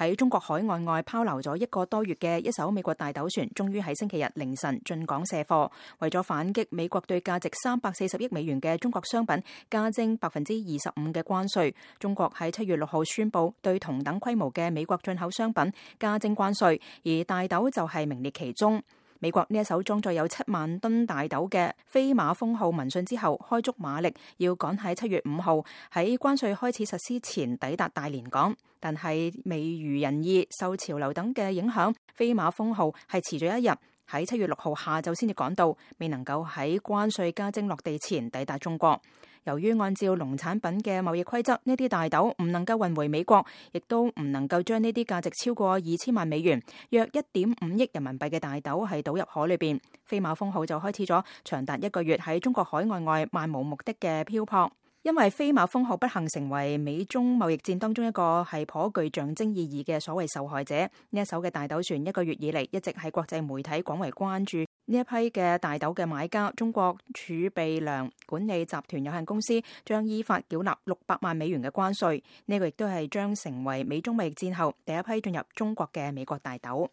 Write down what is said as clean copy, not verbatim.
喺中國海岸外拋錨咗1個多月嘅一艘美國大豆船，終於喺星期日凌晨進港卸貨。為咗反擊美國對價值340億美元嘅中國商品加徵25%嘅關稅，中國喺7月6號宣布對同等規模嘅美國進口商品加徵關稅，而大豆就係名列其中。美國呢一艘裝載有7萬噸大豆嘅飛馬風號聞訊之後，開足馬力要趕喺7月5號喺關稅開始實施前抵達大連港，但係未如人意，受潮流等嘅影響，飛馬風號係遲咗1日，喺7月6號下晝先至趕到，未能夠喺關稅加徵落地前抵達中國。由於按照農產品嘅貿易規則，呢啲大豆唔能夠運回美國，亦都唔能夠將呢啲價值超過2000萬美元，約1.5億人民幣嘅大豆係倒入海裏邊。飛馬風號就開始咗長達1個月喺中國海岸外漫無目的嘅漂泊。因為飛馬風號不幸成為美中貿易戰當中一個係頗具象徵意義嘅所謂受害者，呢一艘嘅大豆船1個月以嚟一直係國際媒體廣為關注。呢一批嘅大豆嘅買家中國儲備糧管理集團有限公司將依法繳納600萬美元嘅關稅，呢個亦都係將成為美中貿易戰後第一批進入中國嘅美國大豆。